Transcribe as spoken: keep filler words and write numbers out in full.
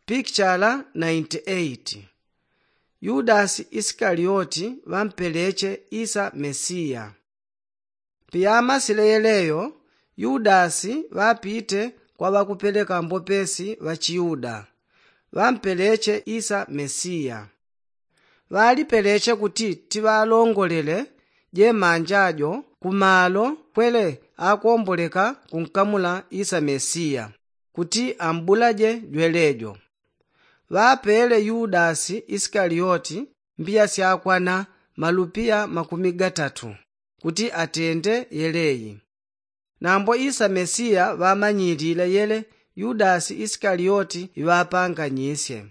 Pikichala nainti eiti. Yudasi isikalioti ŵampeleche isa mesiya. Piyamasile yeleyo, yudasi ŵapite kwa ŵakupeleka mbopesi ŵachiyuda, ŵampeleche isa mesiya. Ŵalipeleche kuti tiŵalongolele jemanja jo kumalo kwele akomboleka kunkamula isa mesiya, kuti ambulaje jwelejo. Ŵapele yudasi isikalioti mbiya syakwana malupiya makumi gatatu, kuti atende yeleyi. Nambo isa mesiya ŵamanyilile yele yudasi isikalioti iŵapanganyisye.